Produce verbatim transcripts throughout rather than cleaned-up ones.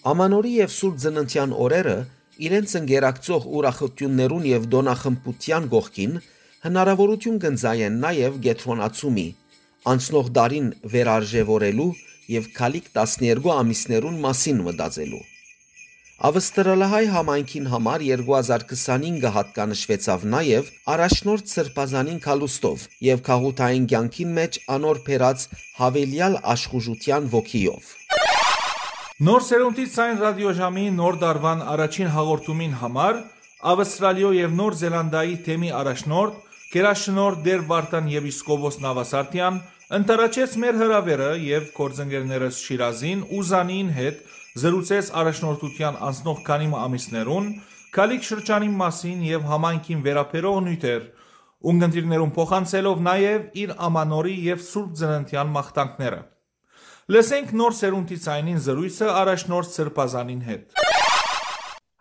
Ամանորի եւ Սուրբ Ծննդյան օրերը իրենց ընկերակցող ուրախություններուն եւ դոնախմբության գողքին հնարավորություն կընձայեն նաեւ գետրոնացումի, անցնող դարին վերարժևորելու եւ քալիք տասներկու ամիսներուն մասին մտածելու։ Ավստրալիայ համայնքին համար երկու հազար քսանինը հատկանշվեցավ նաեւ առաջնորդ սրբազանին կալուստով եւ քաղութային կյանքին մեջ անոր փերած հավելյալ աշխուժության ոգիով։ Նոր սերունդի ցայն ռադիոժամի նոր դարվան առաջին հաղորդումին համար Ավստրալիո եւ Նոր Զելանդիայի թեմի առաջնորդ Գերաշնորհ Դեր Վարդան եպիսկոպոս Նավասարդյան ընտարաչեց մեր հրավերը եւ կորձընկերներս Շիրազին ու Զանին հետ զրուցեց առաջնորդության անցնող քանի ամիսներուն քալիք շրջանի մասին եւ համայնքին վերապերող նյութեր ունգընտիրներուն փոխանցելով նաեւ իր ամանորի եւ Սուրբ Ծննդյան մաղթանքները։ Լսենք նոր սերունդի ցայնին զրույցը առաջնորդ սրբազանին հետ։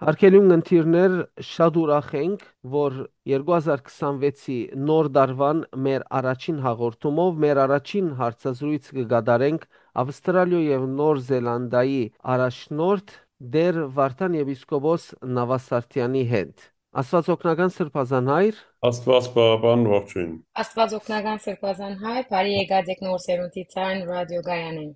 Հարգելի ունգընտիրներ, շատ ուրախ ենք, որ երկու հազար քսանվեցի նոր դարվան մեր առաջին հաղորդումով մեր առաջին հարցազրույց կգադարենք Ավստրալիո եւ Նոր Զելանդիայի առաջնորդ Դեր Վարդան եպիսկոպոս Նավասարդյանի հետ։ Աստված օգնական սրբազան հայր, Աստված բաբան ողջույն։ Աստված օգնական սրբազան հայր, բարի եկած եք նոր սերունդի ցայն ռադիոգայանին։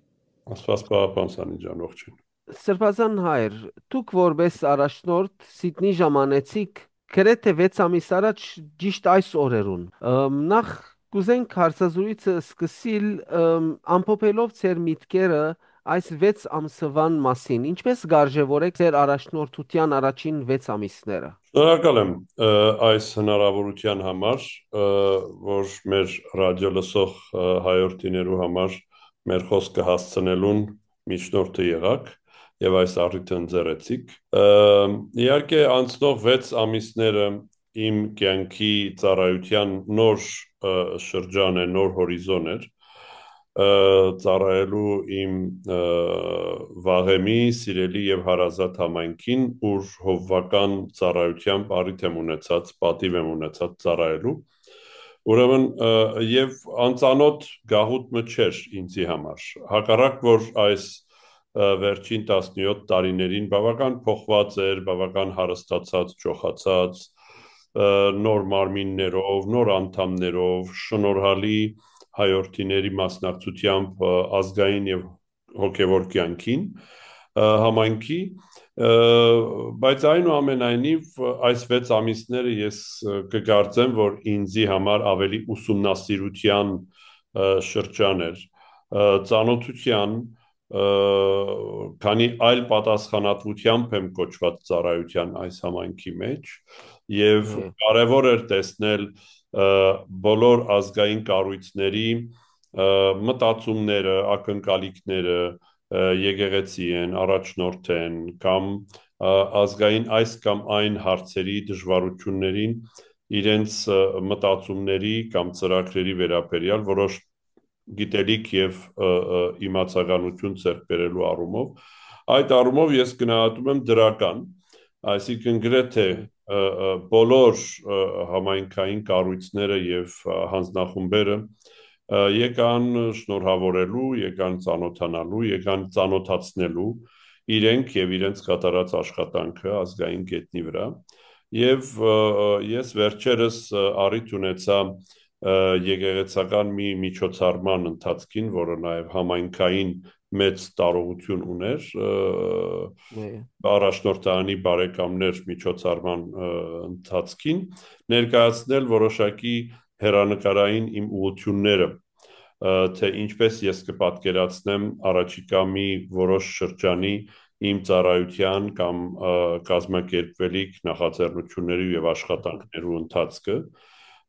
Աստված բաբան Սանի ջան ողջույն։ Սրբազան հայր, դուք որպես առաջնորդ Սիդնի ժամանեցիք գրեթե վեց ամիս առաջ ճիշտ այս օրերուն։ Նախ կուզենք հարցազրույցը սկսել ամփոփելով ձեր միտքերը այս վեց ամսվան մասին, ինչպես գարժևորեք ձեր առաջնորդության առաջին վեց ամիսները։ Շնորհակալ եմ այս հնարավորության համար, որ մեր ռադիո լսող հայրենիներու համար մեր խոսքը հասցնելուն միջնորդը եղաք եւ այս առիթը ընձեռեցիք։ Իհարկե անցնող վեց ամիսները իմ կյանքի ծառայության նոր շրջան է, նոր հորիզոն էր, ծառայելու իմ վաղեմի, սիրելի եւ հարազատ համայնքին, ուր հովվական ծառայությամբ առիթ եմ ունեցած, պատիվ եմ ունեցած ծառայելու։ Ուրեմն եւ անծանոթ գաղութը չէր ինձի համար։ Հակառակ որ այս վերջին տասնյոթ տարիներին բավական փոխված էր, բավական հարստացած, ճոխացած, նոր մարմիններով, նոր անդամներով, շնորհալի հայրենիների մասնակցությամբ ազգային եւ հոգեվոր կյանքին համայնքի, բայց այնուամենայնիվ այս վեց ամիսները ես կգործեմ, որ ինձի համար ավելի ուսումնասիրության շրջան էր, ծանոթության, քանի այլ պատասխանատվությամբ եմ կոչված ծառայության այս համայնքի մեջ եւ կարեւոր էր տեսնել բոլոր ազգային կառույցների մտածումները, ակնկալիքները, եկեղեցի են, առաջնորդ են կամ ազգային այս կամ այն հարցերի դժվարություններին իրենց մտածումների կամ ծրագրերի վերաբերյալ որոշ գիտելիք եւ իմացականություն ձեռք բերելու առումով, այդ առումով ես գնահատում եմ դրական, այսինքն գրեթե բոլոր համայնքային կառույցները եւ հանձնախումբերը եկան շնորհավորելու, եկան ծանոթանալու, եկան ծանոթացնելու իրենք եւ իրենց կատարած աշխատանքը ազգային գետնի վրա եւ ես վերջերս առիթ ունեցա եկեղեցական մի միջոցառման ընթացքին, որը նաեւ համայնքային մեծ տարողություն ուներ, առաջնորդանի բարեկամներ միջոցառման ընթացքին ներկայացնել որոշակի հերանեկարային իմ ուղղությունները, թե ինչպես ես կպատկերացնեմ առաջիկա մի որոշ շրջանի իմ ծառայության կամ կազմակերպվելիք նախաձեռնությունների եւ աշխատանքներու ընթացքը։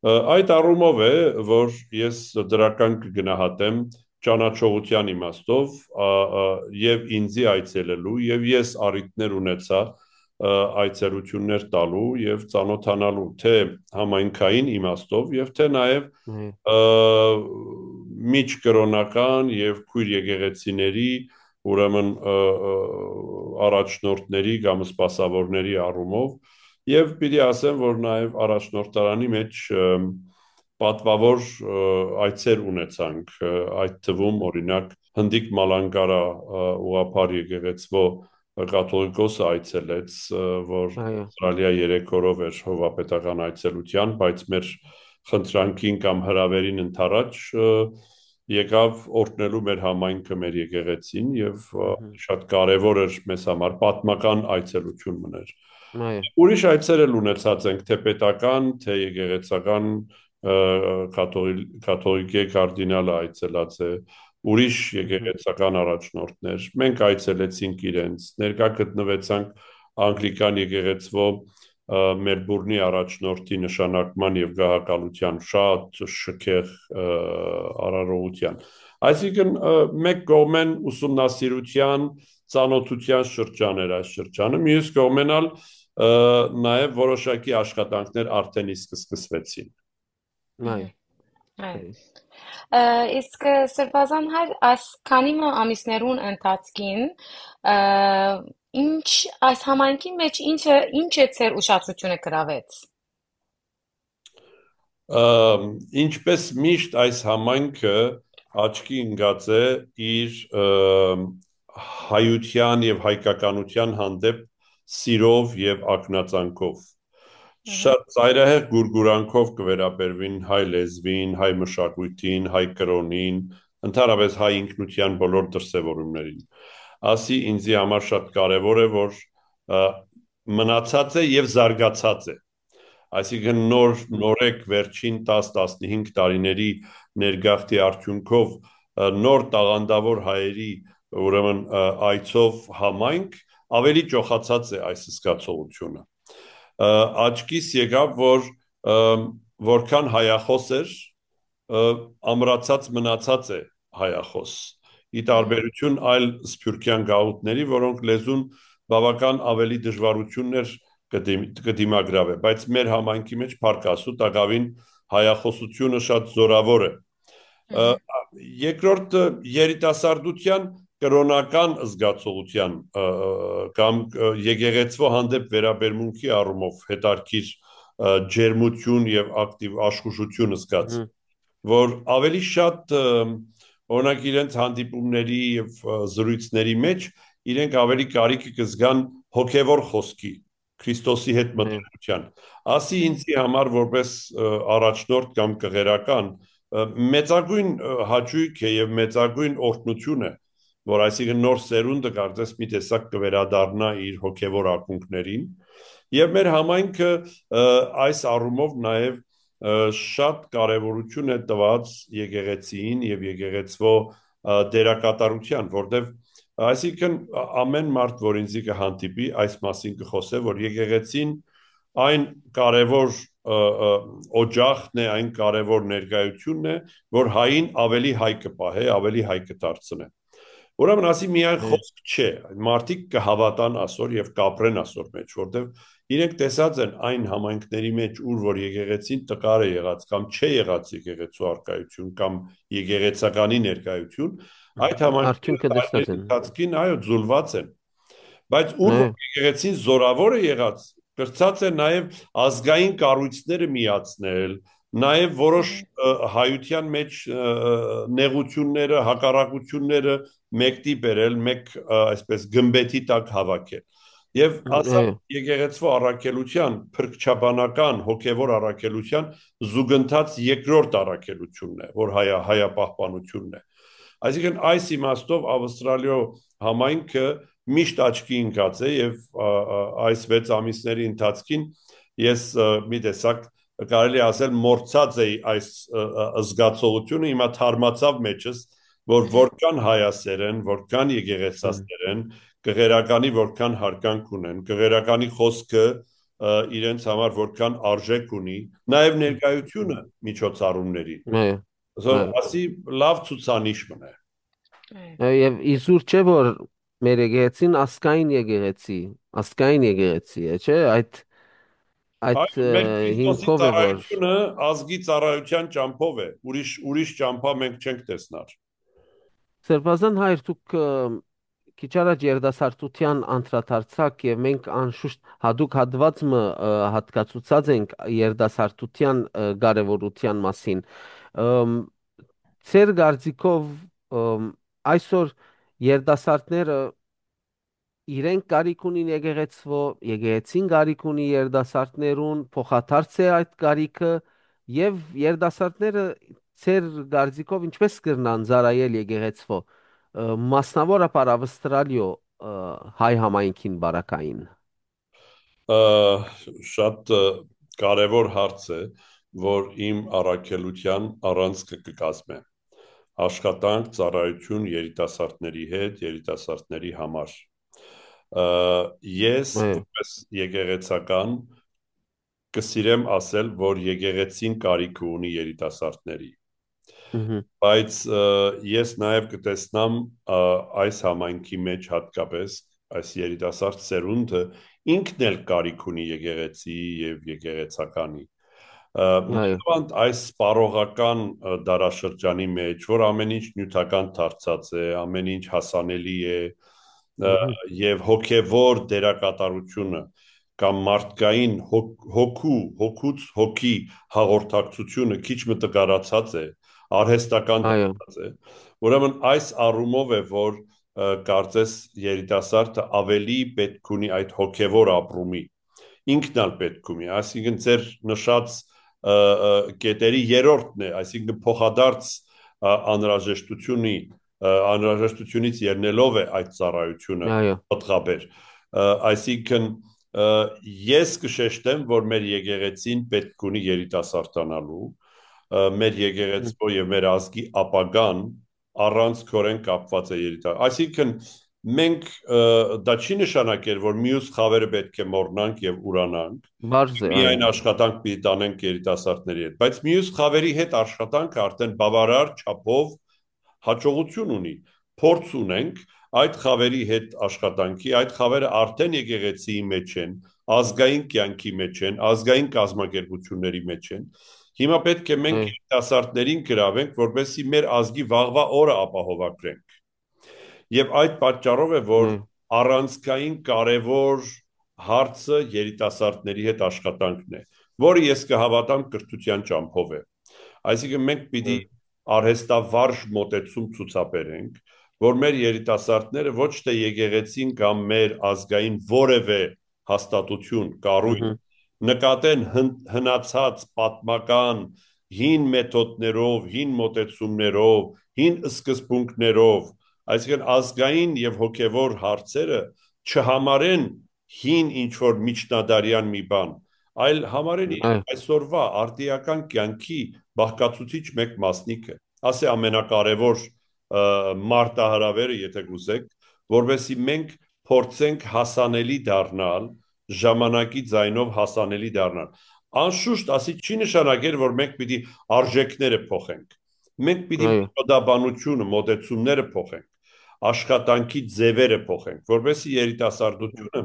Այդ առումով է, որ ես դրական կգնահատեմ ճանաչողության իմաստով եւ ինձի այցելելու եւ ես առիթներ ունեցա այցելություններ տալու եւ ծանոթանալու թե համայնքային իմաստով եւ թե նաեւ միջկրոնական եւ քույր եկեղեցիների, ուրեմն առաջնորդների կամ սպասավորների առումով եւ պիտի ասեմ, որ նաեւ առաջնորդարանի մեջ պատվավոր այցեր ունեցանք, այդ թվում օրինակ Հնդիկ Մալանկարա ուղղափառ եկեղեցվո կաթողիկոսը այցելեց, որ այո, Ավստրալիա երեք օրով էր հովապետական այցելության, բայց մեր խնդրանքին կամ հրավերին ընդառաջ եկավ օրհնելու մեր համայնքը, մեր եկեղեցին եւ ըհը, շատ կարեւոր էր մեզ համար պատմական այցելություն մներ։ այո, Ուրիշ այցեր էլ ունեցած ենք, թե պետական, թե եկեղեցական կաթողիկե կարդինալը այցելած է, ուրիշ ըհը, եկեղեցական առաջնորդներ։ Մենք այցելեցինք իրենց, ներկա գտնվեցանք անգլիկան եկեղեցվո Մելբուրնի առաջնորդի նշանակման եւ գահակալության շատ շքեղ արարողության։ Այսինքն մեկ կողմեն ուսումնասիրության, ծանոթության շրջան էր այս շրջանը, մյուս կողմեն ալ նաև որոշակի աշխատանքներ արդեն իսկ սկսվեցին։ այո, Այո։ Իսկ Սրբազան հայր այս քանի ամիսներուն ընթացքին ինչ այս համայնքի մեջ ինչը ինչ է ձեր ուշադրությունը գրավեց։ Ինչպես միշտ այս համայնքը աչքի ընկած է իր հայության եւ հայկականության հանդեպ սիրով եւ ակնածանքով։ Շատ ծայրահեղ գուրգուրանքով կվերաբերվին հայ լեզվին, հայ մշակույթին, հայ կրոնին, ընդհանրապես հայ ինքնության բոլոր դրսևորումներին։ Ասի ինձի համար շատ կարևոր է, որ մնացած է եւ զարգացած է։ Այսինքն նոր նորեկ վերջին տասը տասնհինգ տարիների ներգաղթի արդյունքով նոր տաղանդավոր հայերի ուրեմն այցով համայնք ավելի ճոխացած է այս զգացողությունը։ Աչքիս եկավ, որ որքան հայախոս էր, ամրացած մնացած է հայախոս։ Ի տարբերություն այլ սփյուռքյան գաղութների, որոնք լեզուն բավական ավելի դժվարություններ կդիմագրավե, բայց մեր համայնքի մեջ փառք Աստծո տակավին հայախոսությունը շատ զորավոր է։ Երկրորդ երիտասարդության կրոնական զգացողության կամ եկեղեցվո հանդեպ վերաբերմունքի առումով հետարքիր ջերմություն եւ ակտիվ աշխուժություն զգաց, որ ավելի շատ օրինակ իրենց հանդիպումների եւ զրույցների մեջ իրենք ավելի կարիք կզգան հոգեվոր խոսքի Քրիստոսի հետ մտերմության։ Ասի ինձի համար որպես առաջնորդ կամ կղերական մեծագույն հաճույք է եւ մեծագույն օրհնություն է, որ այսինքն նոր սերունդը կարծես մի տեսակ կվերադառնա իր հոգեվոր ակունքներին եւ մեր համայնքը այս առումով նաեւ շատ կարեւորություն է տված եկեղեցին եւ եկեղեցվո դերակատարության, որտեւ այսինքն ամեն մարդ, որ ինձ կհանդիպի, այս մասին կխոսե, որ եկեղեցին այն կարևոր օջախն է, այն կարևոր ներկայությունն է, որ հային ավելի հայ կպահե, ավելի հայ կդարձնե։ Ուրեմն ասի միայն խոսք չէ, մարդիկ կհավատան ասոր եւ կապրեն ասոր մեջ, որտեւ իրենք տեսած են այն համայնքների մեջ, ուր որ եկեղեցին տկար է եղած կամ չէ եղած եկեղեցու արկայություն կամ եկեղեցականի ներկայություն, այդ համայնքների ընթացքին այո ձուլված են, բայց ուր եկեղեցին զորավոր է եղած, կրծած է նաև ազգային կառույցները միացնել, նաև որոշ հայության մեջ նեղությունները, հակառակությունները մեկտի բերել, մեկ այսպես գմբեթի տակ հավաքել։ Եվ ասա եկեղեցվո առաքելության, փրկչաբանական, հոգևոր առաքելության զուգընթաց երկրորդ առաքելությունն է, որ հայա հայապահպանությունն է։ Այսինքն այս իմաստով Ավստրալիո համայնքը միշտ աչքի ընկած է եւ այս վեց ամիսների ընթացքին ես մի տեսակ կարելի ասել մորցած էի այս զգացողությունը, հիմա թարմացավ մեջս, որ որքան հայասեր են, որքան եկեղեցասեր են, կղերականի որքան հարկանք ունեն, կղերականի խոսքը իրենց համար որքան արժեք ունի, նաև ներկայությունը միջոցառումների։ Ասի լավ ցուցանիշ մնա։ Եվ իզուր չէ որ մեր եկեղեցին ասկային եկեղեցի, ասկային եկեղեցի է, չէ՞, այդ այդ հիմքով է որ ազգի ծառայության ճամփով է, ուրիշ ուրիշ ճամփա մենք չենք տեսնար։ Սրբազան հայր դուք քիչ առաջ երդասարտության անդրադարձակ եւ մենք անշուշտ հadoop հատվածը հատկացուցած ենք երդասարտության կարեւորության մասին։ Ձեր գարձիկով այսօր երդասարտները իրենք կարիք ունին եկեղեցվո, եկեղեցին կարիք ունի երիտասարդներուն, փոխադարձ է այդ կարիքը եւ երիտասարդները ծեր գարձիկով ինչպես կրնան ծառայել եկեղեցվո, ը, մասնավորապես Ավստրալիո ը, հայ համայնքին բարակային։ Ա, Շատ ը, կարևոր հարց է, որ իմ առաքելության առանցքը կկազմե։ Աշխատանք, ծառայություն երիտասարդների հետ, երիտասարդների համար։ Ա, Ես Այո, որպես եկեղեցական կսիրեմ ասել, որ եկեղեցին կարիք ունի երիտասարդների։ ըհը, Բայց ը, ես նաև կտեսնամ ը, այս համայնքի մեջ հատկապես այս երիտասարդ սերունդը ինքն էլ կարիք ունի եկեղեցի եւ եկեղեցականի։ Ը, այո, Մանավանդ այս սպառողական ը, դարաշրջանի մեջ, որ ամեն ինչ նյութական դարձած է, ամեն ինչ հասանելի է, ը, ըհը, եւ հոգեվոր դերակատարությունը կամ մարդկային հոգ- հոգու, հոգուց հոգի հաղորդակցությունը քիչ մը տկարացած է, արհեստական այո, դարձած է։ Ուրեմն այս առումով է, որ ը, կարծես երիտասարդը ավելի պետք ունի այդ հոգևոր ապրումի, ինքն էլ պետք ունի, այսինքն ձեր նշած ը, ը, կետերի երրորդն է, այսինքն փոխադարձ ը, անհրաժեշտությունի ը, անհրաժեշտությունից ելնելով է այդ ծառայությունը այո, պատղաբեր։ Ը, Այսինքն ը, ես կշեշտեմ, որ մեր եկեղեցին պետք ունի երիտասարդանալու, ը, մեր ըհը, եկեղեցու եւ մեր ազգի ապագան առանց քորեն կապված է երիտասարդ։ Այսինքն մենք ը, դա չի նշանակել, որ մյուս խավերը պետք է մոռնանք եւ ուրանանք, բարձ է, այո, միայն աշխատանք պիտի տանենք երիտասարդների հետ, բայց մյուս խավերի հետ աշխատանքը արդեն բավարար չափով հաջողություն ունի, փորձ ունենք այդ խավերի հետ աշխատանքի, այդ խավերը արդեն եկեղեցիի մեջ են, ազգային կյանքի մեջ են, ազգային կազմակերպությունների մեջ են։ Հիմա պետք է մենք այո, երիտասարդներին գրավենք, որպեսզի մեր ազգի վաղվա օրը ապահովագրենք։ Եվ այդ պատճառով է, որ այո, առանցքային կարևոր հարցը երիտասարդների հետ աշխատանքն է, որը ես կհավատամ կրթության ճամփով է։ Այսինքն մենք պիտի այո, արհեստավարժ մոտեցում ցուցաբերենք, որ մեր երիտասարդները ոչ թե եկեղեցին կամ մեր ազգային որևէ հաստատություն, կառույց ըհը, նկատեն հն- հնացած պատմական հին մեթոդներով, հին մոտեցումներով, հին սկզբունքներով, այսինքն ազգային եւ հոգեվոր հարցերը չհամարեն հին ինչ որ միջնադարյան մի բան, այլ համարեն այո, իրենք այսօրվա արտիական կյանքի բաղկացուցիչ մեկ մասնիկը։ Ասե ամենակարևոր ը, մարտահրավերը, եթե գուզեք, որովհետեւ մենք փորձենք հասանելի դառնալ, ժամանակի ձայնով հասանելի դառնալ։ Անշուշտ, ասի չի նշանակել, որ մենք պիտի արժեքները փոխենք։ Մենք պիտի այո, մոդաբանությունը, մոտեցումները փոխենք, աշխատանքի ձևերը փոխենք, որովհետեւ երիտասարդությունը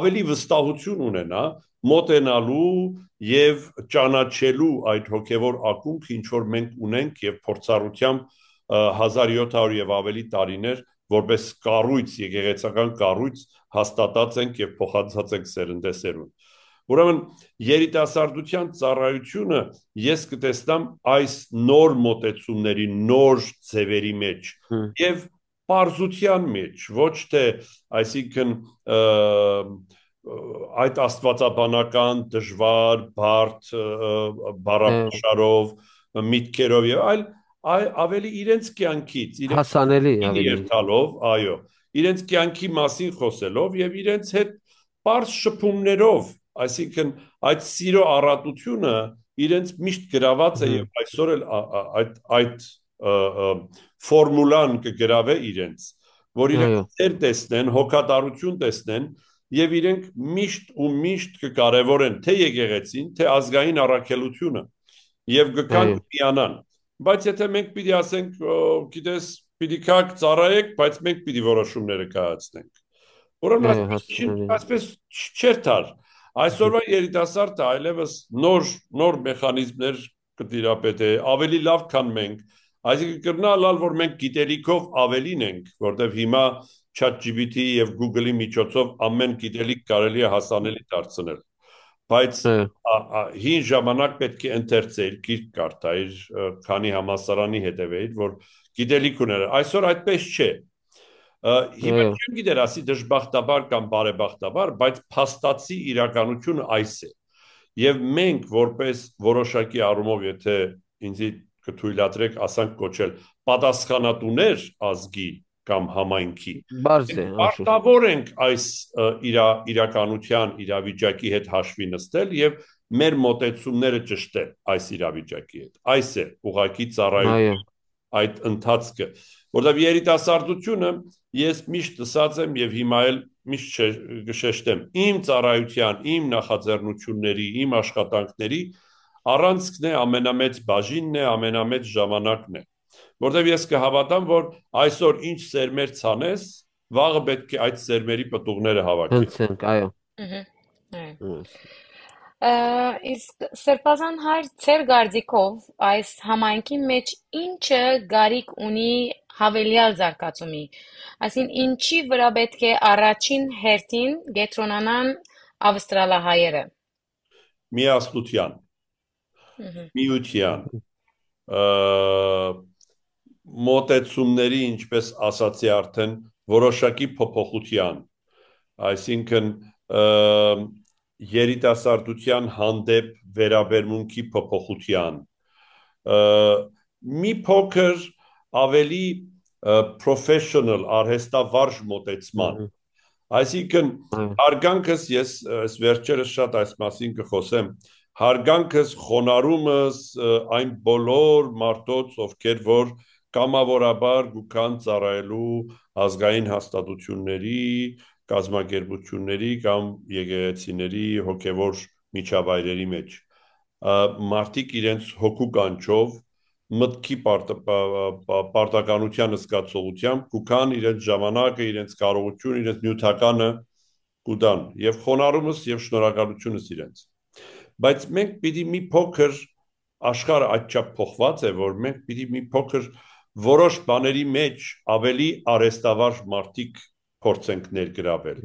ավելի վստահություն ունենա մոտենալու եւ ճանաչելու այդ հոգեվոր ակունքը, ինչ որ մենք ունենք եւ փորձառությամբ ը, հազար յոթ հարյուր եւ ավելի տարիներ որպես կառույց, եկեղեցական կառույց հաստատած ենք եւ փոխանցած ենք սերնդեսերուն։ Ուրեմն երիտասարդության ծառայությունը ես կտեսնամ այս նոր մոտեցումների, նոր ձևերի մեջ ըհը, եւ պարզության մեջ, ոչ թե, այսինքն ը, այդ աստվածաբանական դժվար, բարդ ը, ը, այո, բառապաշարով, միտքերով եւ այլ, այ ավելի իրենց կյանքից, իրենց հասանելի կյանքին ավելի, երթալով, այո, իրենց կյանքի մասին խոսելով եւ իրենց հետ པարզ շփումներով, այսինքն այդ սիրո առատությունը իրենց միշտ գրաված է ըհը, եւ այսօր էլ ա- ա- այդ այդ ը, ը, ֆորմուլան կգրավե իրենց, որ իրենք այո, ծեր տեսնեն, հոգատարություն տեսնեն եւ իրենք միշտ ու միշտ կկարևորեն թե եկեղեցին, թե ազգային առաքելությունը եւ գկան այո, կմիանան։ Բայց եթե մենք պիտի ասենք, «Ո, գիտես, պիտի քակ ծառայեք, բայց մենք պիտի որոշումները կայացնենք»։ Ուրեմն այո, այսպես չի, հասանելի, այսպես չէր թար։ ըհը, Այսօրվա երիտասարդը այլևս նոր նոր մեխանիզմներ կտիրապետե, ավելի լավ, քան մենք։ Այսինքն կրնալալ, որ մենք գիտելիքով ավելին ենք, որտեղ հիմա ChatGPT եւ Google-ի միջոցով ամեն գիտելիք կարելի է հասանելի դարձնել։ Բայց այո, ա- ա- հին ժամանակ պետք է ընթերցեիր, գիրք կարդայիր, ը, քանի համասարանի հետևեիր, որ գիտելիք ուներ։ Այսօր այդպես չէ։ Հիմա չեմ գիտեր ասի դժբախտաբար կամ բարեբախտաբար, բայց փաստացի իրականությունը այս է։ Եվ մենք որպես որոշակի առումով, եթե ինձ կթույլատրեք ասանք կոչել պատասխանատուներ ազգի կամ համայնքի, պարտավոր ենք այս իրա, իրականության իրավիճակի հետ հաշվի նստել եւ մեր մոտեցումները ճշտել այս իրավիճակի հետ։ Այս է ուղղակի ծառայություն այդ ընթացքը, որտեղ երիտասարդությունը ես միշտ ասած եմ եւ հիմա էլ միշտ կշեշտեմ, իմ ծառայության, իմ նախաձեռնությունների, իմ աշխատանքների առանցքն է, ամենամեծ բաժինն է, ամենամեծ ժամանակն է, որտեղ ես կհավատամ, որ այսօր ինչ սերմեր ցանես, վաղը պետք է այդ սերմերի պտուղները հավաքենք։ Հնցենք, այո։ Այո։ Իսկ Սրբազան հայր ծեր գարձիկով այս համայնքի մեջ ինչը գարիք ունի հավելյալ զարգացումի, այսին ինչի վրա պետք է առաջին հերթին գետրոնանան ավստրալահայերը։ Միասնության, միության, մոտեցումների, ինչպես ասացի արդեն, որոշակի փոփոխության, այսինքն երիտասարդության հանդեպ վերաբերմունքի փոփոխության, մի փոքր ավելի professional արհեստավարժ մոտեցման, այսինքն հարգանքս ես այս վերջերս շատ այս մասին կխոսեմ, հարգանքս, խոնարհումս այն բոլոր մարդոց, ովքեր որ կամավորաբար գուքան ծառայելու ազգային հաստատությունների, կազմակերպությունների կամ եկեղեցիների հոգևոր միջավայրերի մեջ, մարդիկ իրենց հոգու կանչով, մտքի պարտականության զգացողությամբ գուքան իրենց ժամանակը, իրենց կարողություն, իրենց նյութականը կուտան եւ խոնարհումս եւ շնորհակալությունս իրենց։ Բայց մենք պիտի մի փոքր աշխարհը այդչափ փոխված է, որ մենք պիտի մի փոքր որոշ բաների մեջ ավելի արհեստավարժ մարդիկ փորձենք ներգրավել։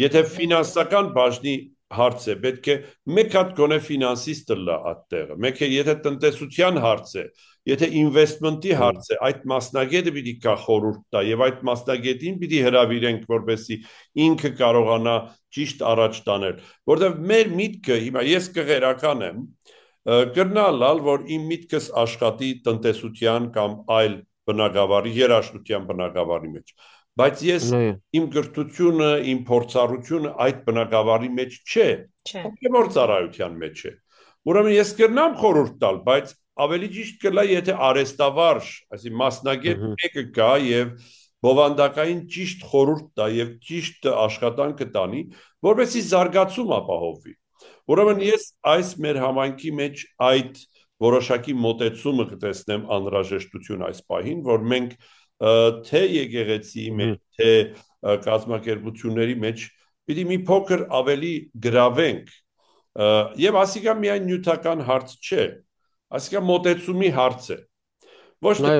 Եթե ֆինանսական բաժնի հարց է, պետք է մեկ հատ գոնե ֆինանսիստը լա այդտեղը, մեկ է եթե տնտեսության հարց է, եթե ինվեստմենտի հարց է, այդ մասնագետը պիտի կա խորհուրդ տա եւ այդ մասնագետին պիտի հրավիրենք, որպեսզի ինքը կարողանա ճիշտ առաջ տանել, որտեղ մեր միտքը, հիմա ես կղերական եմ, կրնալալ, որ իմ միտքս աշխատի տնտեսության կամ այլ բնագավառի, երաժշտության բնագավառի մեջ, բայց ես իմ գրթությունը, իմ փորձառությունը այդ բնագավառի մեջ չէ, հոգևոր ծառայության մեջ է։ Ուրեմն ես կրնամ խորհուրդ տալ, բայց ավելի ճիշտ կլա, եթե արհեստավարժ, այսինքն մասնագետ մեկը գա եւ բովանդակային ճիշտ խորհուրդ տա եւ ճիշտ աշխատանքը տանի, որովհետեւ զարգացում ապահովվի։ Ուրեմն ես այս մեր համայնքի մեջ այդ որոշակի մոտեցումը կտեսնեմ անհրաժեշտություն այս պահին, որ մենք թե եկեղեցի մեջ, թե կազմակերպությունների մեջ պիտի մի փոքր ավելի գրավենք եւ ասիկա միայն նյութական հարց չէ, ասիկա մոտեցումի հարց է։ Ոչ թե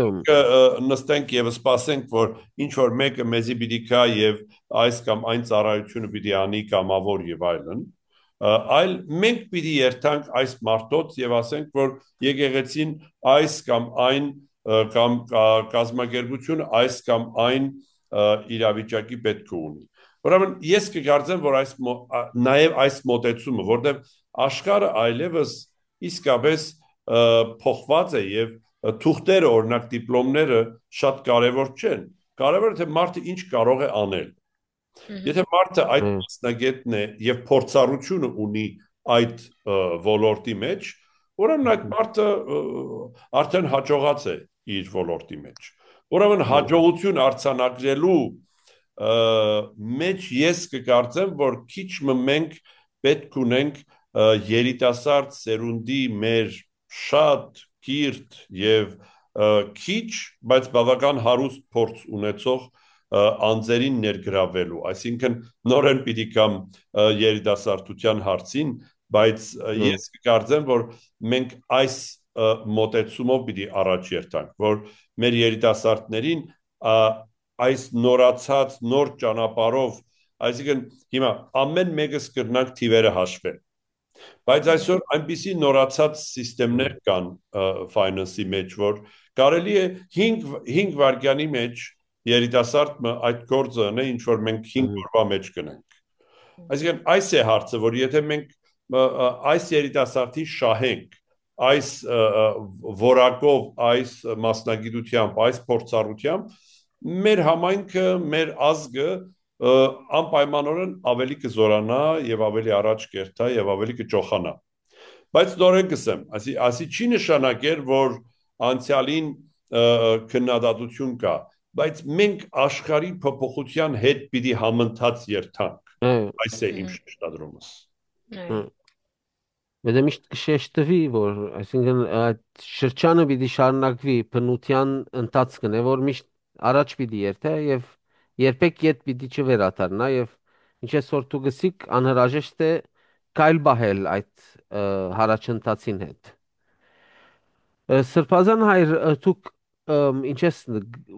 նստենք եւ սպասենք, որ ինչ որ մեկը մեզի պիտի գա եւ այս կամ այն ծառայությունը պիտի անի կամավոր եւ այլն, այլ մենք պիտի երթանք այս մարդոց եւ ասենք, որ եկեղեցին այս կամ այն կամ կազմակերպությունը այս կամ այն իրավիճակի պետք ունի։ Ուրեմն ես կգարձեմ, որ այս նաև այս մոտեցումը, որտեղ աշխարհը այլևս իսկապես փոխված է եւ թուղթերը, օրինակ դիպլոմները շատ կարեւոր չեն։ Կարեւորը թե մարդը ինչ կարող է անել։ Եթե մարդը այդ մասնագետն է եւ փորձառությունը ունի այդ ոլորտի մեջ, ուրեմն այդ մարդը արդեն հաջողած է իր ոլորտի մեջ։ Ուրեմն հաջողություն արձանագրելու մեջ ես կկարծեմ, որ քիչ մենք պետք ունենք երիտասարդ սերունդի մեր շատ կիրթ եւ քիչ, բայց բավական հարուստ փորձ ունեցող անձերին ներգրավելու, այսինքն նորեն պիտի կամ երիտասարդության հարցին, բայց ես կկարծեմ, որ մենք այս մոտեցումով պիտի առաջ երթանք, որ մեր երիտասարդներին այս նորացած նոր ճանապարհով, այսինքն հիմա ամեն մեկս կրնանք թիվերը հաշվել, բայց այսօր այնպիսի նորացած սիստեմներ կան finance-ի մեջ, որ կարելի է հինգ վայրկյանի մեջ երիտասարդը այդ գործը ունի, ինչ որ մենք հինգ օրվա մեջ կնենք։ Այսինքն այս է հարցը, որ եթե մենք այս երիտասարդի շահենք, այս որակով, այս մասնագիտությամբ, այս փորձառությամբ, մեր համայնքը, մեր ազգը անպայմանորեն ավելի կզորանա եւ ավելի առաջ կերտա եւ ավելի կճոխանա։ Բայց նորեն կսեմ, ասի, ասի չի նշանակեր, որ անցյալին քննադատություն կա, բայց մենք աշխարհի փոփոխության հետ պիտի համընթաց երթանք։ Այս է իմ շեշտադրումս։ Բայց միշտ կշեշտվի, որ այսինքն այդ շրջանը պիտի շարունակվի բնության ընթացքն է, որ միշտ առաջ պիտի երթե եւ երբեք ետ պիտի չվերադառնա եւ ինչպես որ դու գսիկ անհրաժեշտ է կայլ բահել այդ հարաճընթացին հետ։ Սրբազան հայր դուք ինչես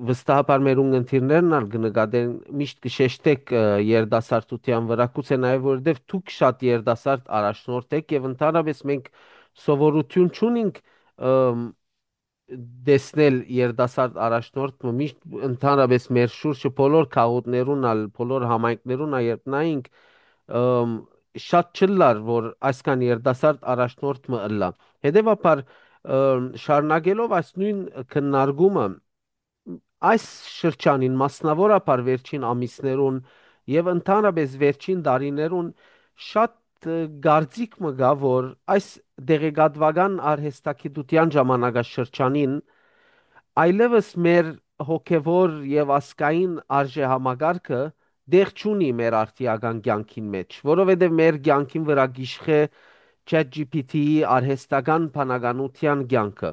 վստահաբար մեր ունգընթիրներն ալ կնկատեն միշտ կշեշտեք երդասարտության վրա կուցե նաև որովհետև դուք շատ երդասարտ առաջնորդ եք եւ ընդհանրապես մենք սովորություն չունենք դեսնել երդասարտ առաջնորդ միշտ ընդհանրապես մեր շուրջը բոլոր քաղաքներուն ալ բոլոր համայնքներուն ալ երբ նայենք շատ չլար որ այսքան երդասարտ առաջնորդ մը ըլլա հետեւաբար շարունակելով այս նույն քննարկումը այս շրջանին մասնավորապես վերջին ամիսներուն եւ ընդհանրապես վերջին տարիներուն շատ գարձիկ մը գա որ այս դեղեկատվական արհեստագիտության ժամանակաշրջանին այլևս մեր հոգևոր եւ ասկային արժեհամակարգը դեղ չունի մեր արտիական կյանքին մեջ որովհետեւ մեր կյանքին վրա գիշխե ChatGPT-ի արհեստական բանականության կյանքը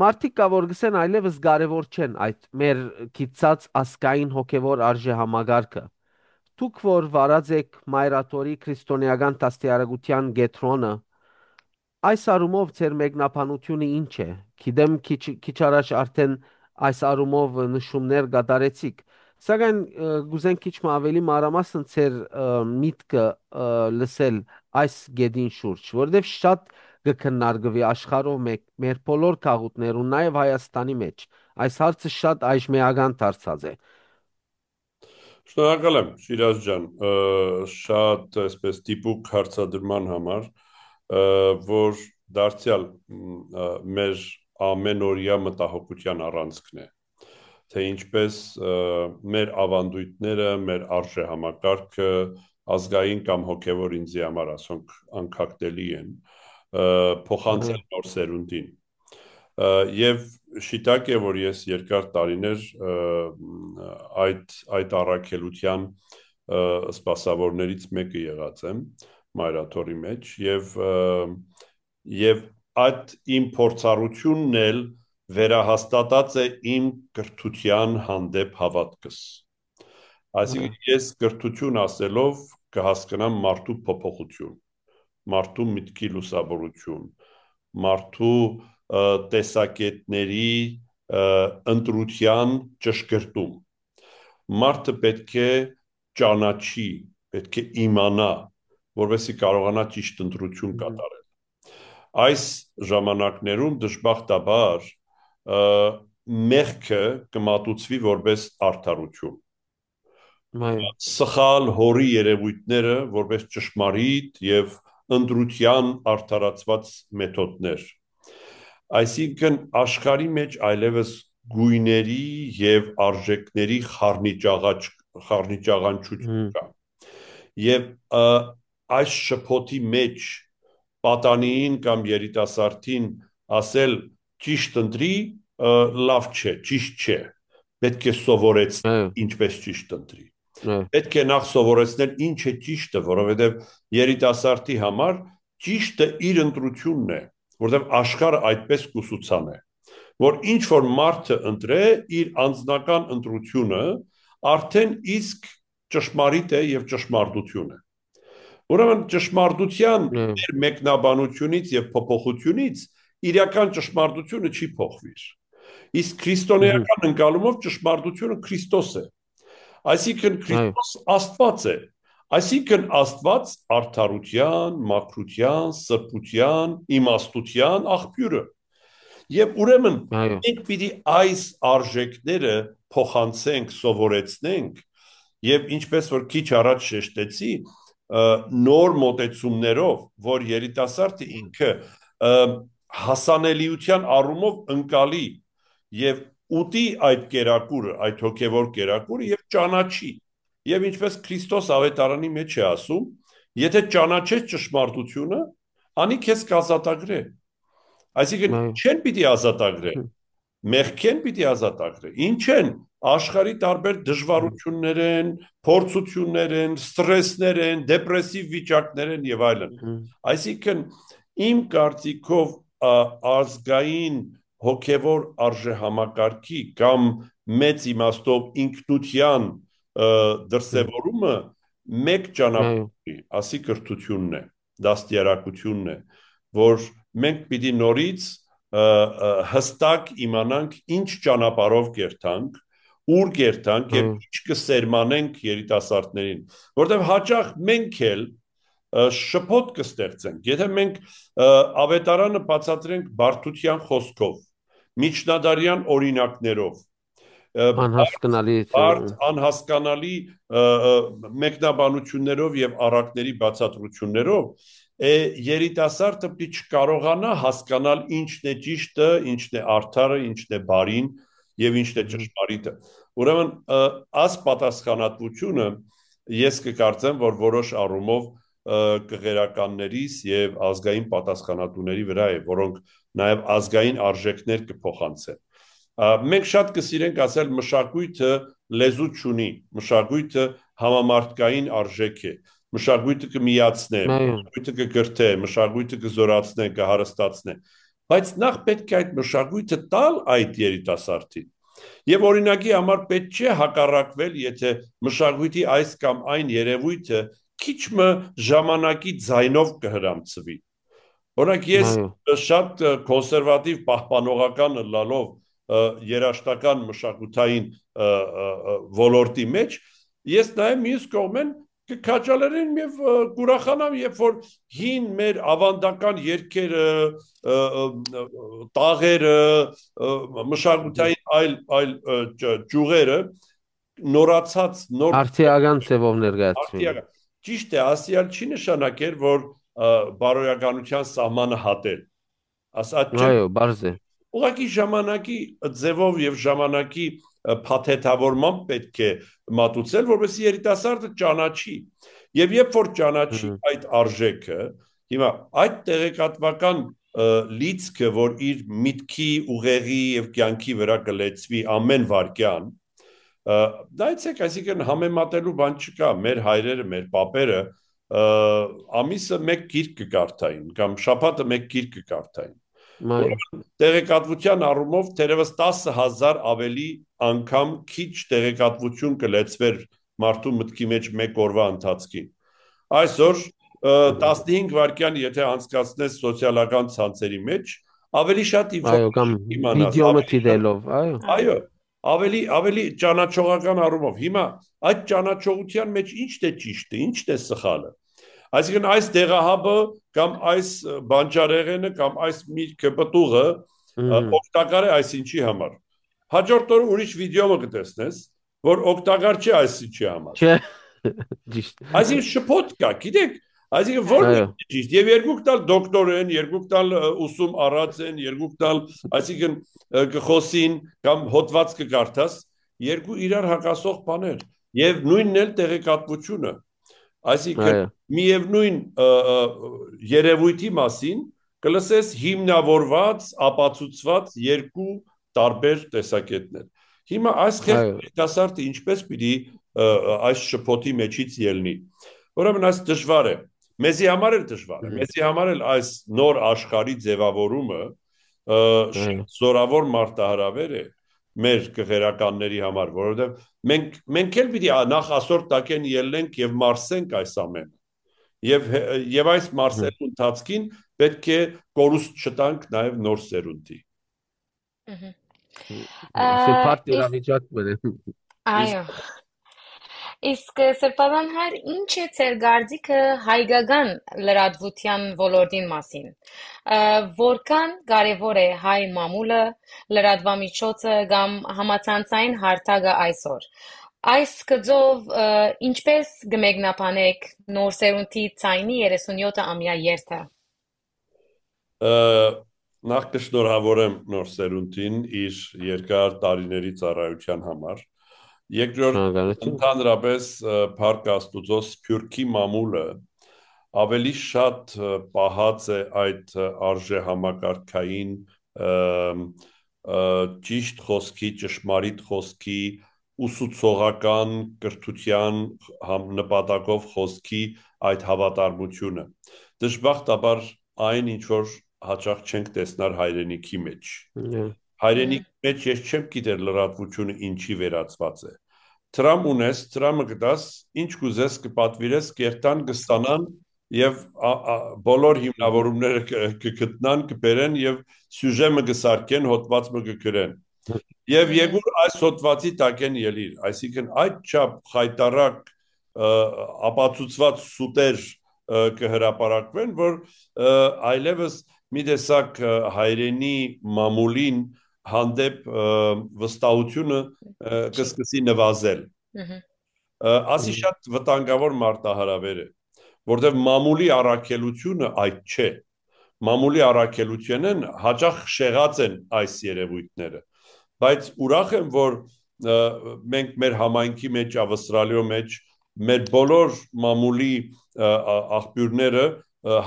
մարդիկ կա որ գսեն այլևս կարևոր չեն այդ մեր գիծած ասկային հոգևոր արժեհամակարգը դուք որ վարած եք մայրաթորի քրիստոնեական դաստիարակության գետրոնը այս արումով ձեր մեկնաբանությունը ինչ է գիտեմ քիչ քիչ առաջ արդեն այս արումով նշումներ կատարեցիք սակայն գուզեն քիչ ավելի մանրամասն ձեր միտքը լսել այս գեդին շուրջ որովհետև շատ կքննարկվի աշխարհով մեր բոլոր քաղաքներում նաև Հայաստանի մեջ այս հարցը շատ այժմեական դարձած է Շնորհակալ եմ Շիրազ ջան շատ այսպես տիպուկ հարցադրման համար որ դարձյալ մեր ամենօրյա մտահոգության առանցքն է թե ինչպես մեր ավանդույթները, մեր արժեհամակարգը ազգային կամ հոգևոր ինձի համար ասոնք անկախտելի են փոխանցել նոր սերունդին եւ շիտակ է որ ես երկար տարիներ այդ այդ առաքելության սպասավորներից մեկը եղած եմ մայրաթորի մեջ եւ եւ այդ իմ փորձառությունն էլ վերահաստատած է իմ կրթության հանդեպ հավատքս այսինքն ես կրթություն ասելով կհասկանամ մարդու փոփոխություն մարդու միտքի լուսավորություն մարդու տեսակետների ընտրության ճշգրտում մարդը պետք է ճանաչի պետք է իմանա որովհետեւ կարողանա ճիշտ ընտրություն կատարել այս ժամանակներում դժբախտաբար մեղքը կմատուցվի որպես արդարություն սխալ հորի երևույթները որպես ճշմարիտ եւ ընտրության արդարացված մեթոդներ այսինքն աշխարհի մեջ այլևս գույների եւ արժեքների խառնիճաղաչ խառնիճաղանչություն կա եւ այս շփոթի մեջ պատանիին կամ երիտասարդին ասել ճիշտ ընտրի լավ չէ ճիշտ չէ պետք է սովորեցնել ինչպես ճիշտ ընտրի պետք է նախ սովորեցնել ինչ է ճիշտը որովհետեւ երիտասարդի համար ճիշտը իր ընտրությունն է որովհետեւ աշխարհը այդպես կուսուցան է որ ինչ որ մարդը ընտրե իր անձնական ընտրությունը արդեն իսկ ճշմարիտ է եւ ճշմարտություն է ուրեմն ճշմարտության մեր մեկնաբանությունից եւ փոփոխությունից իրական ճշմարտությունը չի փոխվիր իսկ քրիստոնեական ընկալումով ճշմարտությունը Քրիստոս է այսինքն Քրիստոս Աստված է այսինքն Աստված արդարության, մաքրության, սրբության, իմաստության աղբյուրը եւ ուրեմն մենք պիտի այս արժեքները փոխանցենք, սովորեցնենք եւ ինչպես որ քիչ առաջ շեշտեցի, նոր մոտեցումներով, որ երիտասարդը ինքը հասանելիության առումով ընկալի եւ ուտի այդ կերակուրը, այդ հոգեվոր կերակուրը եւ ճանաչի։ Եվ ինչպես Քրիստոս ավետարանի մեջ է ասում, եթե ճանաչես ճշմարտությունը, անի քեզ կազատագրե։ Այսինքն չեն պիտի ազատագրե, մեղքեն պիտի ազատագրե։ Ինչ են աշխարհի տարբեր դժվարություններ են, փորձություններ են, ստրեսներ են, դեպրեսիվ վիճակներ են եւ այլն։ Այսինքն իմ կարծիքով ազգային հոգևոր արժեհամակարգի կամ մեծ իմաստով ինքնության դրսևորումը մեկ ճանապարհի, ասի կրթությունն է, դաստիարակությունն է, որ մենք պիտի նորից հստակ իմանանք ինչ ճանապարհով կերտանք, ուր կերտանք եւ ինչ կսերմանենք երիտասարդներին, որտեղ հաճախ մենք էլ շփոթ կստեղծենք, եթե մենք ավետարանը բացատրենք բարդության խոսքով, միջնադարյան օրինակներով, անհասկանալի անհասկանալի մեկնաբանություններով եւ առակների բացատրություններով, երիտասարդը պիտի չկարողանա հասկանալ ինչն է ճիշտը, ինչն է արդարը, ինչն է բարին եւ ինչն է ճշմարիտը։ Ուրեմն աս պատասխանատվությունը ես կկարծեմ, որ որոշ առումով կղերականներիս եւ ազգային պատասխանատուների վրա է, որոնք նաեւ ազգային արժեքներ կփոխանցեն։ Մենք շատ կսիրենք ասել մշակույթը լեզու չունի, մշակույթը համամարտկային արժեք է, մշակույթը կմիացնե, մշակույթը կգրթե, մշակույթը կզորացնե, կհարստացնե, բայց նախ պետք է այդ մշակույթը տալ այդ երիտասարդին։ Եվ օրինակի համար պետք չէ հակառակվել, եթե մշակույթի այս կամ այն երևույթը քիչ մը ժամանակի ձայնով կհրամցվի։ Օրինակ ես շատ կոնսերվատիվ պահպանողական լալով երաշտական մշակութային ոլորտի մեջ, ես նաև մյուս կողմեն կքաջալերեն եւ կուրախանամ, երբ որ հին մեր ավանդական երգերը, տաղերը, մշակութային այլ այլ ճյուղերը նորացած նոր արդիական ձևով ներկայացվեն։ Ճիշտ է, ասիալ չի նշանակեր, որ բարոյականության սահմանը հատել։ Ասած չէ։ Այո, բարձ է։ Ուղղակի ժամանակի ձևով եւ ժամանակի փաթեթավորման պետք է մատուցել, որովհետեւ երիտասարդը ճանաչի։ Եվ երբ որ ճանաչի այդ արժեքը, հիմա այդ տեղեկատվական լիցքը, որ իր միտքի, ուղեղի եւ կյանքի վրա կլեցվի ամեն վարքյան, դայցեք, այսինքն համեմատելու բան չկա, մեր հայրերը, մեր պապերը ամիսը մեկ գիրք կկարդային կամ շաբաթը մեկ գիրք կկարդային։ Տեղեկատվության առումով թերևս տասը հազար ավելի անգամ քիչ տեղեկատվություն կլեցվեր մարդու մտքի մեջ մեկ օրվա ընթացքին։ Այսօր տասնհինգ վայրկյան եթե անցկացնես սոցիալական ցանցերի մեջ, ավելի շատ իմանաս, այո, ավելի ավելի ճանաչողական առումով։ Հիմա այդ ճանաչողության մեջ ի՞նչն է ճիշտը, ի՞նչն է սխալը։ Այսինքն այս դեղահաբը կամ այս բանջարեղենը կամ այս միրգը պտուղը օգտակար է այսինչի համար։ Հաջորդ օրը ուրիշ վիդեո կտեսնես, որ օգտակար չէ այսինչի համար։ Չէ։ Ճիշտ։ Այսինքն շփոթ կա, գիտեք, այսինքն որն է ճիշտ։ Եվ երկուք տալ դոկտոր են, երկուք տալ ուսում առած են, երկուք տալ, այսինքն կխոսին կամ հոդված կկարդաս, երկու իրար հակասող բաներ։ Եվ նույնն էլ տեղեկատվությունը։ Այսինքն միևնույն երևույթի մասին կլսես հիմնավորված, ապացուցված երկու տարբեր տեսակետներ։ Հիմա այս երիտասարդը ինչպես պիտի այս շփոթի մեջից ելնի։ Ուրեմն այս դժվար է։ Մեզի համար էլ դժվար է։ Մեզի համար էլ այս նոր աշխարհի ձևավորումը զորավոր մարտահրավեր է մեր կղերականների համար, որովհետև մենք մենք էլ պիտի նախ ասոր տակեն ելնենք եւ մարսենք այս ամենը։ Եվ եւ այս մարսելու ընթացքին պետք է կորուստ չտանք նաեւ նոր սերունդի։ Սեպարտ իրավիճակ բերեմ։ Այո։ Իսկ Սրբազան հայր, ինչ է ձեր կարծիքը հայկական լրատվության ոլորտին մասին։ Որքան կարևոր է հայ մամուլը, լրատվամիջոցը կամ համացանցային հարթակը այսօր։ Այս գծով ինչպես կմեկնաբանեք նոր սերունդի ցայնի երեսունյոթ-ամյա երթը։ Նախ կշնորհավորեմ նոր սերունդին իր երկար տարիների ծառայության համար։ Երկրորդ, ընդհանրապես Փառք Աստուծո Սփյուռքի մամուլը ավելի շատ պահած է այդ արժեհամակարգային ճիշտ խոսքի, ճշմարիտ խոսքի, ուսուցողական կրթության նպատակով խոսքի այդ հավատարմությունը։ Դժբախտաբար այն ինչ որ հաճախ չենք տեսնար հայրենիքի մեջ։ Հայրենիքի մեջ ես չեմ գիտեր լրատվությունը ինչի վերածված է։ Տրամ ունես, տրամը գտաս, ինչ կուզես կպատվիրես, կերտան, կստանան եւ բոլոր հիմնավորումները կգտնան, կբերեն եւ սյուժեմը կսարքեն, հոդվածը կգրեն։ Եվ եգուր այս հոդվածի տակ են ելիր, այսինքն այդ չափ խայտարակ ապացուցված սուտեր կհրապարակվեն, որ այլևս մի տեսակ հայրենի մամուլին հանդեպ վստահությունը կսկսի նվազել։ Ասի շատ վտանգավոր մարտահրավեր է, որտեղ մամուլի առաքելությունը այդ չէ։ Մամուլի առաքելությունն հաճախ շեղած են այս երևույթները, բայց ուրախ եմ, որ մենք մեր համայնքի մեջ, Ավստրալիո մեջ, մեր բոլոր մամուլի աղբյուրները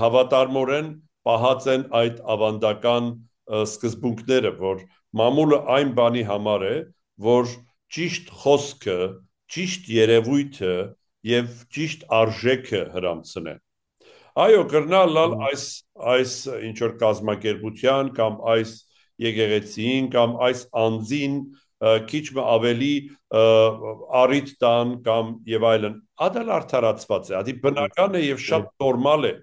հավատարմորեն պահած են այդ ավանդական սկզբունքները, որ մամուլը այն բանի համար է, որ ճիշտ խոսքը, ճիշտ երևույթը եւ ճիշտ արժեքը հրամցնե։ Այո, կրնալ լալ այս այս ինչ որ կազմակերպության կամ այս եկեղեցին կամ այս անձին քիչ ավելի առիթ տան կամ եւ այլն, ադալ արդարացված է, ադի բնական է եւ շատ նորմալ է,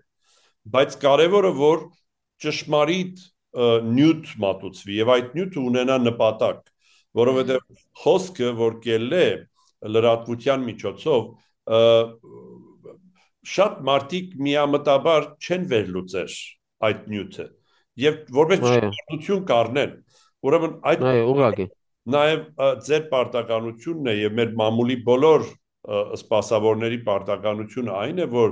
բայց կարևորը որ ճշմարիտ նյութ մատուցվի եւ այդ նյութը ունենա նպատակ, որովհետեւ խոսքը որ կելն է լրատվության միջոցով շատ մարդիկ միամտաբար չեն վերլուծեր այդ նյութը եւ որպես ճշմարտություն կառնեն, ուրեմն այդ ուղղակի նաեւ ձեր պարտականությունն է եւ մեր մամուլի բոլոր սպասավորների պարտականությունը այն է, որ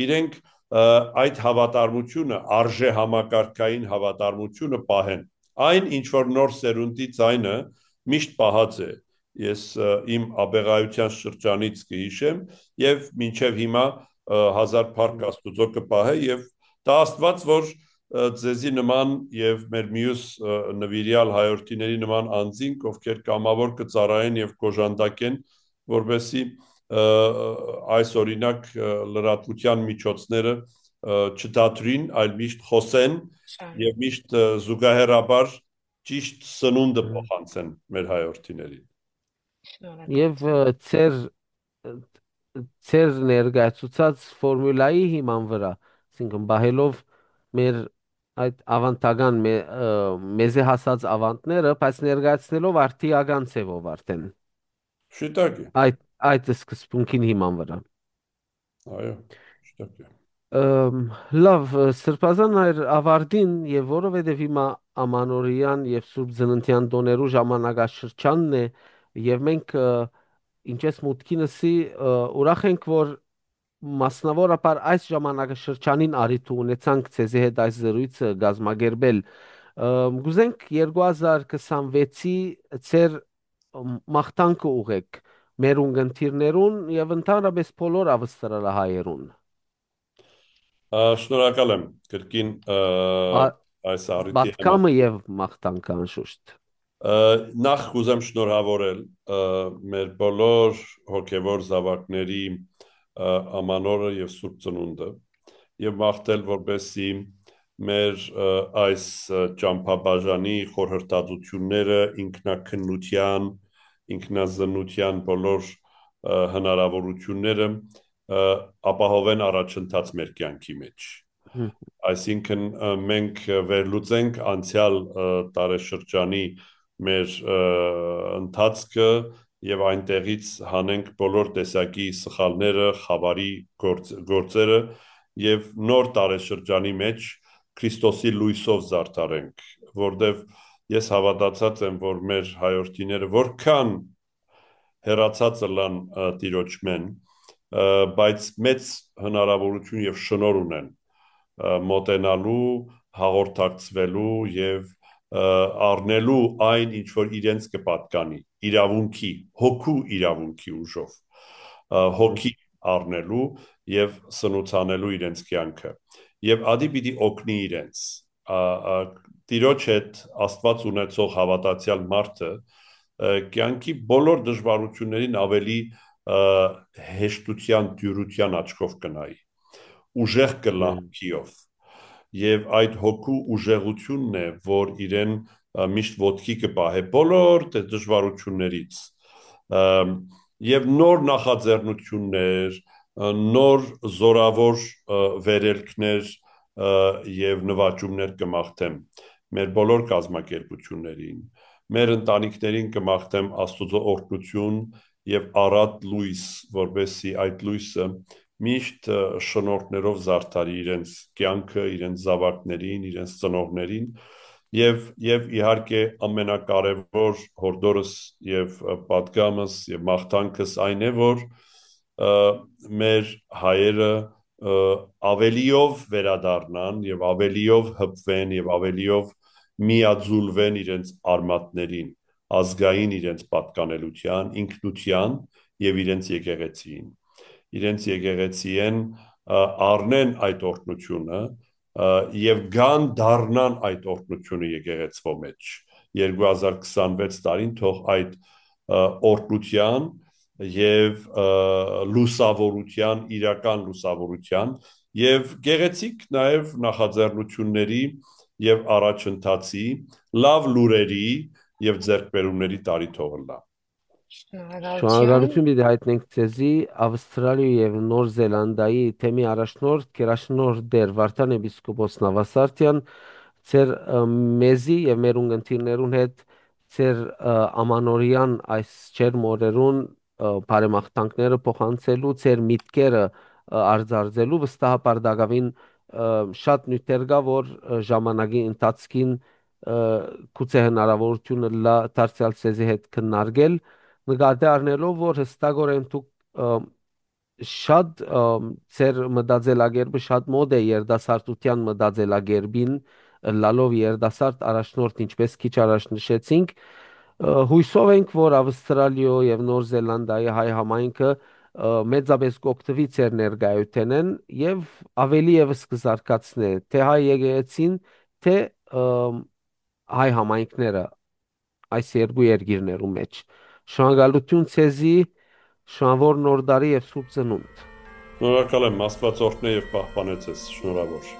իրենք այդ հավատարմությունը, արժե համակարգային հավատարմությունը պահեն։ Այն ինչ որ նոր սերունդի ցայնը միշտ պահած է։ Ես իմ աբեղայության շրջանից կհիշեմ եւ մինչեւ հիմա հազար Փառք Աստուծո կպահե եւ դա Աստված որ ձեզի նման եւ մեր մյուս նվիրյալ հայրենիների նման անձինք, ովքեր կամավոր կծառայեն եւ կոժանդակեն, որովհետեւ այս օրինակ լրատվության միջոցները չդատրին, այլ միշտ խոսեն եւ միշտ զուգահեռաբար ճիշտ սնունդը փոխանցեն մեր հայրենիներին։ Եվ ծեր ծեր ներկայացուցած ֆորմուլայի հիման վրա, այսինքն բահելով մեր այդ ավանդական մեզի հասած ավանդները, բայց ներկայացնելով արդիական ձևով արդեն։ Շիտակ է։ Այդ այդ սկզբունքին հիման վրա։ Այո, շիտակ է։ Լավ, Սրբազան այր ավարտին եւ որովհետեւ հիմա ամանորյան եւ Սուրբ Ծննդյան տոներու ժամանակաշրջանն է եւ մենք ինչպես մուտքինսի ուրախ ենք որ մասնավորապես այս ժամանակաշրջանին արիթ ունեցանք ցեզի հետ այս զրույցը գազմագերբել գուզենք երկու հազար քսանվեցի ծեր մաղթանքը ուղեք մեր ունգընտիրներուն եւ ընդհանրապես բոլոր ավստրալահայերուն։ Շնորհակալ եմ կրկին այս առիթի համար։ Պատկամը եւ մաղթանքը անշուշտ։ Նախ կուզեմ շնորհավորել մեր բոլոր հոգևոր զավակների ամանորը եւ Սուրբ Ծնունդը եւ մաղթել որպեսզի մեր այս ճամփաբաժանի խորհրդածությունները ինքնակնության, ինքնազնության բոլոր հնարավորությունները ապահովեն առաջընթաց մեր կյանքի մեջ։ Այսինքն մենք վերլուծենք անցյալ տարեշրջանի մեր ընթացքը եւ այնտեղից հանենք բոլոր տեսակի սխալները, խավարի գործ, գործերը եւ նոր տարեշրջանի մեջ Քրիստոսի լույսով զարդարենք, որտեւ ես հավատացած եմ, որ մեր հայրենիները որքան հերացած լան տիրոջ մեն, բայց մեծ հնարավորություն եւ շնոր ունեն մոտենալու, հաղորդակցվելու եւ առնելու այն, ինչ որ իրենց կպատկանի, իրավունքի, հոգու իրավունքի ուժով, հոգի առնելու եւ սնուցանելու իրենց կյանքը։ Եվ ադի պիտի օգնի իրենց։ Տիրոջ հետ Աստված ունեցող հավատացյալ մարդը կյանքի բոլոր դժվարություններին ավելի հեշտության, դյուրության աչքով կնայի, ուժեղ կլանքիով։ Եվ այդ հոգու ուժեղությունն է, որ իրեն միշտ ոտքի կպահե բոլոր դժվարություններից եւ նոր նախաձեռնություններ, նոր զորավոր վերելքներ եւ նվաճումներ կմաղթեմ մեր բոլոր կազմակերպություններին, մեր ընտանիքներին կմաղթեմ Աստծո օրհնություն եւ առատ լույս, որովհետեւ այդ լույսը միշտ շնորհներով զարդարի իրենց կյանքը, իրենց զավակներին, իրենց ծնողներին եւ եւ իհարկե ամենակարևոր հորդորս եւ պատգամս եւ մաղթանքս այն է, որ մեր հայերը ավելիով վերադառնան եւ ավելիով հպվեն եւ ավելիով միաձուլվեն իրենց արմատներին, ազգային իրենց պատկանելության, ինքնության եւ իրենց եկեղեցիին։ Իրենց եկեղեցիեն առնեն այդ օրհնությունը եւ գան դառնան այդ օրհնությունը եկեղեցվո մեջ։ երկու հազար քսանվեց տարին թող այդ օրհնության եւ լուսավորության, իրական լուսավորության եւ գեղեցիկ նաեւ նախաձեռնությունների եւ առաջընթացի, լավ լուրերի եւ ձեռքբերումների տարի թողնա։ Շնորհակալություն պիտի հայտնենք ձեզի Ավստրալիայի եւ Նոր Զելանդիայի թեմի առաջնորդ Գերաշնորհ Դեր Վարդան Էպիսկոպոս Նավասարդյան, ձեր մեզի եւ մեր ունգընտիրներուն հետ ձեր ամանորյան այս չերմ օրերուն բարեմաղթանքները փոխանցելու, ձեր միտքերը արձարծելու վստահաբար դակավին շատ նյութեր կա, որ ժամանակի ընթացքին գուցե հնարավորությունը լա դարձյալ ցեզի հետ քննարկել, նկատի առնելով, որ հստակորեն դուք շատ ձեր մտածելակերպը շատ մոտ է երդասարտության մտածելակերպին, լալով երդասարտ առաջնորդ, ինչպես քիչ առաջ նշեցինք, հույսով ենք, որ Ավստրալիա եւ Նոր Զելանդիայի հայ համայնքը մեծապես կօգտվի ձեր ներկայությունեն եւ ավելի եւս կզարգացնե թե հայ եկեղեցին, թե հայ համայնքները այս երկու երկիրներու մեջ։ Շնորհակալություն ցեզի, շնորհավոր նոր տարի եւ սուրբ ծնունդ։ Շնորհակալ եմ, Աստված օրհնե եւ պահպանե ձեզ, շնորհավոր։